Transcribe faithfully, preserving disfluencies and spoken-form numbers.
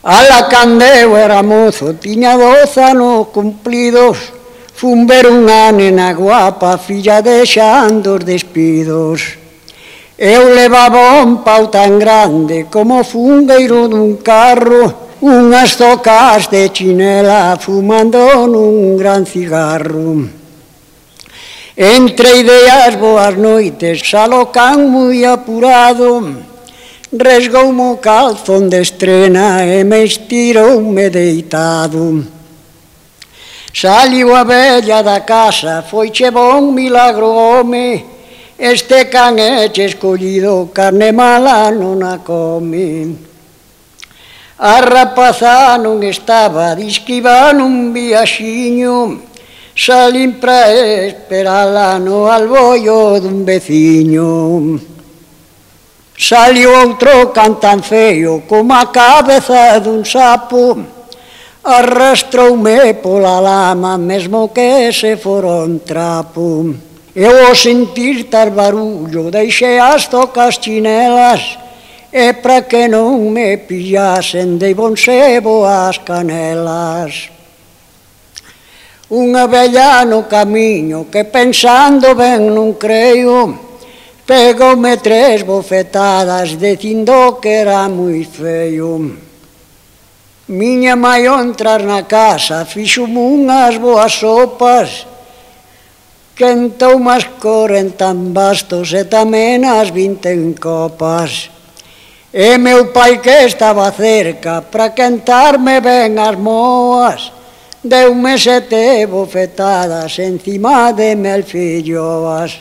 Ala candeu era mozo, tiña doce anos cumplidos, fun ver unha nena guapa, filla de Xan dos Despidos. Eu levaba un pau tan grande como fungueiro dun carro, unhas zocas de chinela fumando nun gran cigarro. Entre ideas boas noites, xa lo can moi apurado, resgoume o calzón de estrena e me estiroume deitado. Saliu a vella da casa, foiche bon milagro, home, este can eche escollido, carne mala non a come. A rapaza non estaba, disque iba nun viaxiño, salín pra esperala no alboio dun veciño. Saliu outro can tan feio como a cabeza dun sapo, arrastroume pola lama mesmo que se fora un trapo. Eu ao sentir tal barullo deixei as zocas chinelas e para que non me pillasen dei bon sebo as canelas. Unha vella no camiño que pensando ben non creo, pegoume tres bofetadas dicindo que era moi feio. Miña mai ao entrar na casa fixome unhas boas sopas, quentoume as corenta en bastos e tamén as vinte en copas. E meu pai que estaba cerca para quentarme ben as moas, deume sete bofetadas encima de mel filloas.